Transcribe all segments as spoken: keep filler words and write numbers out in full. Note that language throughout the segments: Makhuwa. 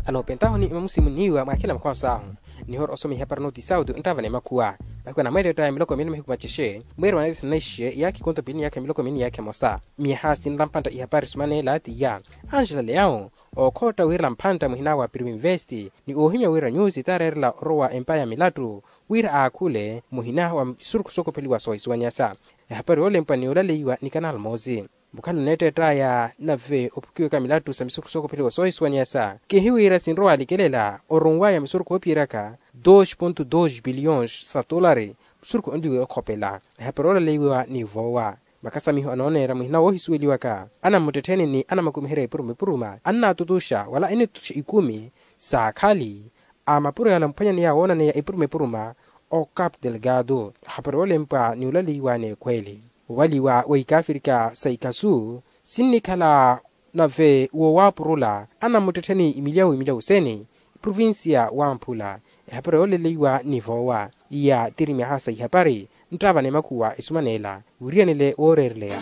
Anoopentahoni mamusimu niiwa mwakhela makhwaso ahu. Nihora osoma ihapari noti sauti nttava na emakhuwa. Mahiku anamweettetta ya miloko mili mahiku macexe mweeri wa naithana naixe iyaakha ikonto pili ni iyaakha miloko mili ni iyaakha emosa. Miyaha sinrampantta ihapari sumaneela tiya. Angela leyawu ookhootta wiirela mphantta muhina wa pirimu investi ni oohimya wira nyusi taareerela orowa empa ya milattu wira aakhule muhina wa misurukhu sookopheliwa soohisuwanyasa. Ehapari yoolempwa ni yoolaleiwa ni kanal moosi. Mukhale oneetteett'aya nave ophukiwaka milattu sa misurukhu sookopheliwa soohisuwanyasa kihiwira sinrowa alikelela orunw'aya misurukhu oophiyeraka dos ponto dos biliyons sa tolari. Misurukhu onliwe okhopela ehapari oolaleiwa ni voowa. Makasamiho anooneera muhina woohisuweliwaka anamuttettheni ni anamukumiherya epuruma epuruma annaatutuxa wala enitutuxa ikumi saakhali a mapuro yala mphwanyaneya woonaneya epuruma epuruma o capu delgado. Hapari woolempwa ni olaleiwa n'ekhweeli owaliwa wa ikaafirika sa ikhasu sinnikhala nave woowaapurula anamuttettheni imilyawu imilyawu sene. Provincia wamphula ehapari yooleleiwa ni voowa iya tiri myaha sa ihapari nttava n'emakhuwa esumaneela wiriyanele wooreereleya.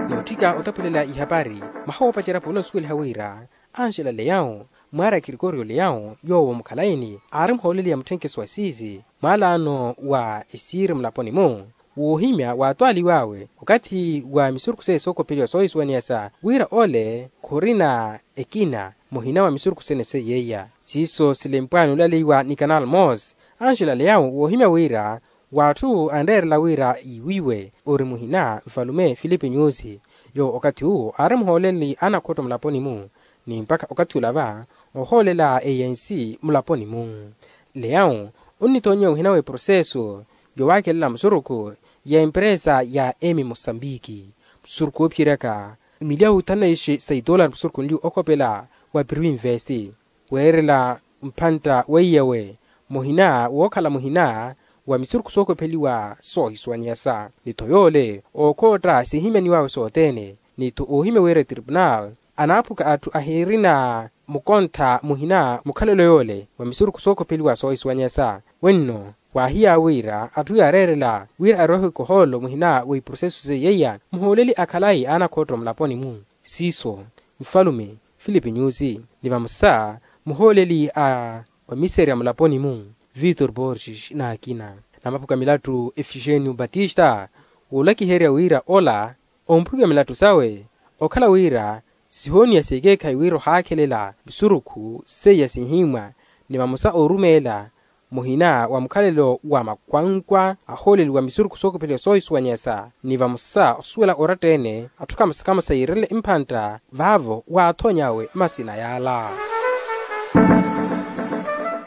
Nootthika otaphulela ihapari maha woopacerya pula osuweliha wira anxela leyawu mwaara grikorio leyawu yoowo mukhalayi-ni aari muhooleli ya mutthenkeso wa siizi mwaalaano wa esiiri mulaponi-mu. Woohimya waatwaaliw'awe okathi wa misurukhu seiya sookopheliwa soohisuwaniyasa wira ole khurina ekina muhina wa misurukhu sene seiyeiya siiso silempwani olaleiwa ni kanal moss. Anxela leyawu woohimya wira w'atthu anreerela wira iwiwe ori muhina nfalume filipe nyusi yoowo okathi uwo aari muhooleli anakhotto mulaponi-mu ni mpakha okathi olava ohoolela eyensi mulaponi-mu. Leyawu onnithoonyiwa muhina w'eproseso yowaakelela musurukhu ya emperesa ya emi mosambiki musurukhu oophiyeryaka milyawu thanaixe sa itolari musurukhu onliwe okhopela wa pirimu investi weerela mphantta weiyawe muhina wookhala muhina wa misurukhu sookopheliwa soohisuwaniyasa ni-tho yoole ookhootta sihimyaniw'awe sothene ni-tho oohimya wira etripunal anaaphuka atthu ahirina mukontha muhina mukhalelo yoole wa misurukhu sookopheliwa soohisuwaniyasa. Wenno waahiy'awe wira atthu yaareerela wira aroihe kohoolo muhina wa iproseso seiyeiya muhooleli akhalayi anakhotto mulaponi-mu siiso nfalume filipe nyusi ni vamosa muhooleli a omiserya mulaponi-mu victor borges n'akina. Namaphuka milattu efigênio batista woolakiherya wira ola omphukiwa milattu sawe okhala wira sihooniya s'ekeekhayi wira ohaakhelela misurukhu seiya sinhimwa ni vamosa oorumeela muhina wa mukhalelo wa makhwankwa ahooleliwa misurukhu sookopheliwa soohisuwaniyasa ni vamosa osuwela oratta-ene atthu kamosa kamosa yiirele mphantta vaavo waathony'awe masina yaala.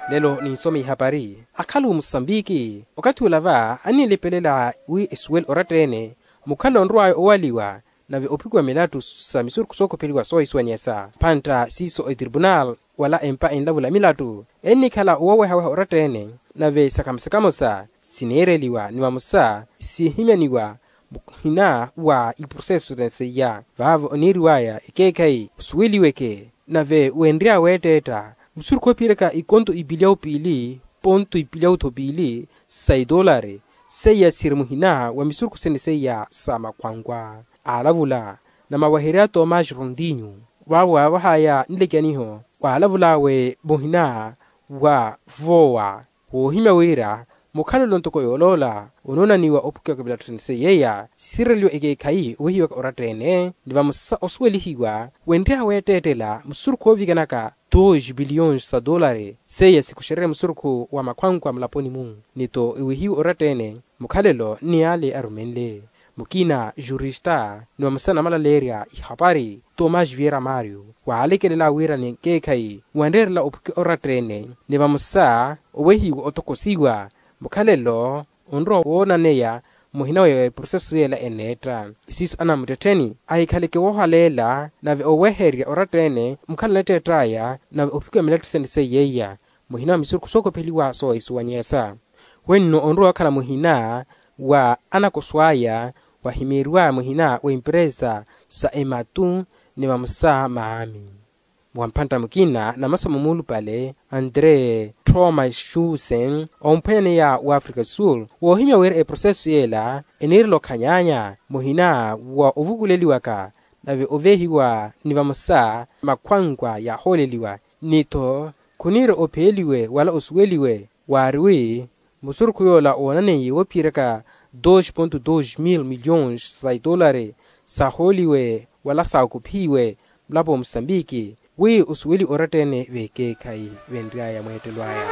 Lelo ninsome ihapari akhaluwe musambiki okathi olava annilepelela wi esuwele oratta-ene mukhalelo onrow'aya owaliwa nave ophikiwa milattu sa misurukhu sookopheliwa soohisuwaniyasa mphantta siiso etripunal wala empa enlavula milattu ennikhala owawehaweha oratta-ene nave sakamosa kamosa sineereliwa ni vamosa sihimyaniwa muhina wa iproseso sene seiya vaavo oniiriw'aya ekeekhayi osuweliweke nave wenry'awe weetteetta musurukhu oophiyeryaka ikonto ipilyawu piili ponto ipilyawu-tho piili sa itolari seiya siri muhina wa misurukhu sene seiya sa makhwankwa aalavula namaweherya tomasi rondinho vaavo waavah'aya nlekaniho waalavul'awe muhina wa voowa woohimya wira mukhalelo ntoko yooloola onoonaniwa ophukiwaka milattu sene seiyeiya sireliwa ekeekhayi owehiwaka oratta-ene ni vamosa osuwelihiwa wenry'awe weetteettela musurukhu oovikanaka dos biliyons sa tolari seiya sikuxererye musurukhu wa makhwankwa mulaponi-mu ni-tho ewehiwe oratta-ene mukhalelo ni yaale arumenle mukina jurista ni vamosa namalaleerya ihapari tomas viera mario waalekelela wira ni ekeekhayi wanreerela ophukiwa oratta-ene ni vamosa owehiwa otokosiwa mukhalelo onrowa woonaneya muhina wa eproseso yeela eneetta siiso anamuttettheni ahikhaleke woohaleela nave oweherya oratta-ene mukhalelo anetteett'aya nave ophukiwa milattu sene seiyeiya muhina wa misurukhu sookopheliwa soohisuwanyeyasa wenno onrowa wakhala muhina wa anakoso aya wahimiriwa muhina wa emperesa sa ematu ni vamosa maami wa mphantta mukina na masomo muulupale andre thomas schusen omphwanyaneya wa africa sul woohimya wira eproseso yeela eniirela okhanyaanya muhina wa ovukuleliwaka nave ovehiwa ni vamosa makhwankwa yaahooleliwa. Ni-tho khuniira opheeliwe wala osuweliwe waari wi musurukhu yoola oonaneiye woophiyeraka dos ponto dos mil milhões sa itolari saahooliwe wala saakuphiwe mulapo wa musambiki wi osuweli oratta-ene vekeekhayi venry'aya mweettelo aya.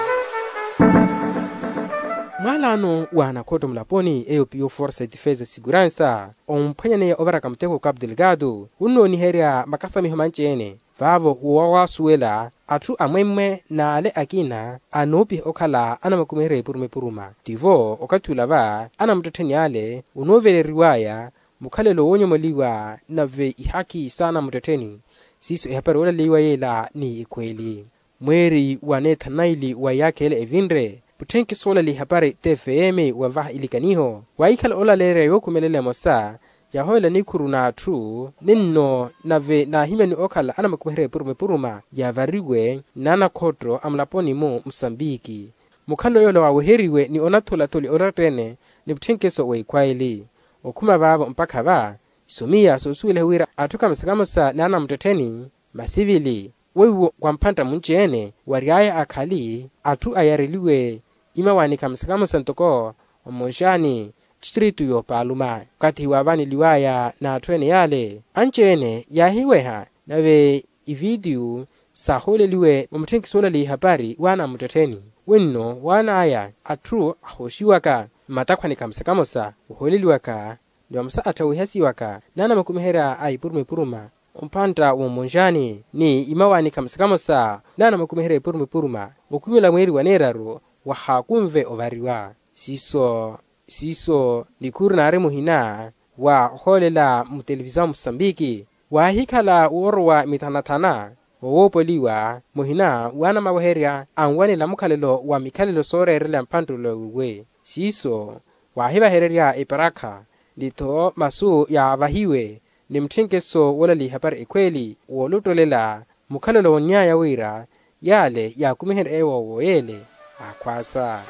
Mwalaano wa anakhotto mulaponi eyo piyo forsa ya defesa seguransa omphwanyaneya ovaraka muteko wa capu delgado wunnooniherya makasamiho manci-ene vaavo wowawasuwela atthu amwemmwe n'ale akina anoopiha okhala anamakumiherya epuruma epuruma. Tivo okathi ula va anamuttettheni ale onooveleriw'aya mukhalelo woonyomoliwa nave ihakhi s'anamuttettheni siiso ehapari oolaleiwa yeela ni ekhweeli. Mweeri wa neethanaili wa iyaakha ele evinre mutthenkiso oolaleya ihapari tfm wanvaha ilikaniho waahikhala olaleerya yookhumelela emosa yaahoyela nikhuru n'atthu ninno nave naahimyaniwa okhala anamakumiherya epuruma epuruma yaavariwe n'anakhotto a mulaponi-mu musambiki. Mukhalelo yoola waaweheriwe ni onatholatholi oratta-ene ni mutthenkiso w'ekhwaili okhuma vaavo mpakha va isomiya soosuweliha wira atthu kamosa kamosa n'anamuttettheni masivili weiwo wa mphantta munci-ene wary'aya akhali atthu ayareliwe imawaani kamosa kamosa ntoko omonxani tistritu y'opaaluma okathi waavaneliw'aya n'atthu-ene yale anci-ene yaahiweha nave ivitiyu saahooleliwe mwa mutthenkiso oolaleya ihapari w'anamuttettheni wenno waan'aya atthu ahooxiwaka mmatakhwani kamosa kamosa ohooleliwaka ni vamosa atthu aweihasiwaka n'anamakumiherya a ipuruma ipuruma omphantta w'omonxani ni imawaani kamosa kamosa n'anamakumiherya ipuruma ipuruma okhumela mweeri wa neeraru wahaakunve ovariwa siiso siiso nikhuru naari muhina wa ohoolela mutelevisao musambiki waahikhala woorowa mithanathana owoopoliwa muhina w'anamaweherya anwanela mukhalelo wa mikhalelo sooreerela mphanttelo wiiwe siiso waahivahererya eparakha ni-tho masu yaavahiwe ni mutthenkeso woolaleya ihapari ekhweeli woolottolela mukhalelo wonny'aya wira yaale yaakumiherya ewoowo yeele aakhwaasa.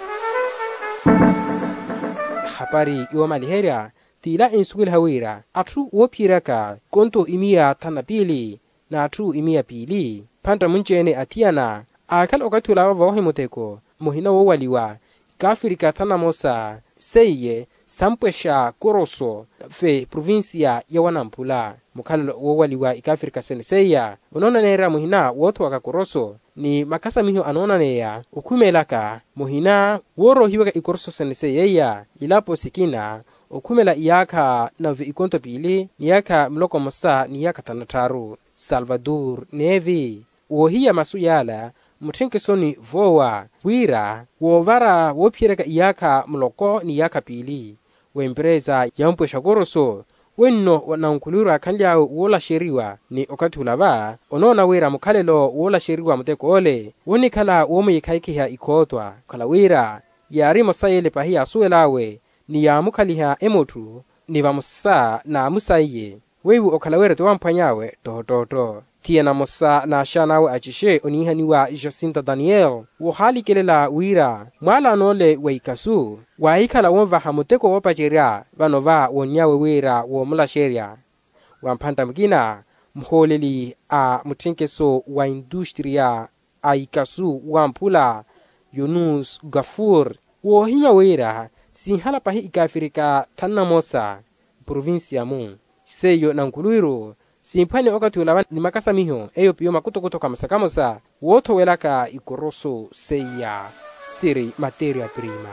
Ehapari yoomaliherya t'ila ensuweliha wira atthu woophiyeryaka konto imiya thanu na piili n'atthu imiya piili mphantta munci-ene athiyana aakhala okathi olava voohi muteko muhina woowaliwa ikaafirika thanu na mosa seiye sampwexa koroso fe provincia ya wanamphula mukhalelo woowaliwa ikaafirika sene seiya onoonaneerya muhina woothowaka koroso ni makasamiho anoonaneya okhumelaka muhina wooroohiwaka ikoroso sene seiya ilapo sikina okhumela iyaakha nave ikonto piili ni iyaakha muloko mmosa ni iyaakha thanu na tthaaru salvador nevi woohiya masu yaala mutthenkeso ni voowa wira woovara woophiyeryaka iyaakha muloko ni iyaakha piili w'emperesa ya ompwexa koroso wenno nankhulwiru aakhanly'awe woolaxeriwa ni okathi ula va onoona wira mukhalelo woolaxeriwa mutek'ole woonikhala woomuyikhayikhiha ikhootwa okhala wira yaari emosa y'ele pahi yaasuwel'awe ni yaamukhaliha emotthu ni vamosa n'amusaiye weiwo okhala wira ti wamphwany'awe ttoottootto thiyana mosa n'axaan'awe acixe oniihaniwa jacinta daniel woohaalikelela wira mwaalano ole wa ikasu waahikhala wonvaha muteko woopacerya vano va wonny'awe wira woomulaxerya wa mphantta mukina muhooleli a mutthenkeso wa industriya a ikasu wamphula yunus gafur woohimya wira sinhala pahi ikaafirika thanu na mosa mprovincia-mu seiyo nankhulwiru simphwanye okathi olava ni makasamiho eyo piyo makutokuto kamosa kamosa woothowelaka ikoroso seiya siri materia prima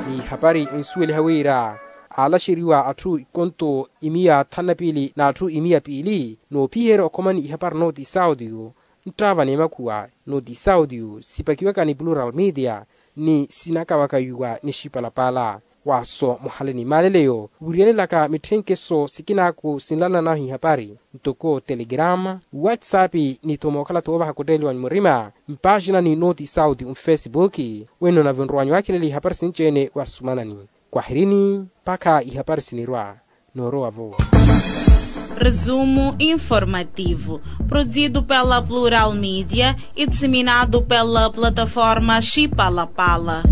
ni ihapari ensuweliha wira aalaxeriwa atthu ikonto imiya thanu na piili n'atthu imiya piili noophiherya okhomani ihapari nooti sautiyo nttaava n'emakhuwa nooti sautiyo sipakiwaka ni plural media ni sinakawakaiwa ni xipalapala waaso muhale ni maaleleyo wiriyanelaka mitthenkeso sikinaaku sinlalananahu ihapari ntoko telegrama whatsapp ni-tho mookhala-tho woovaha kutteeliwa ni murima mpaaxinani nooti sauti mfesibuki wenno nave nrowanyu waakhilela ihapari sinci-ene wasumanani kwahirini mpakha ihapari sinirwa noorowa-vo. Resumo informativo, produzido pela Plural Mídia e disseminado pela plataforma Chipalapala.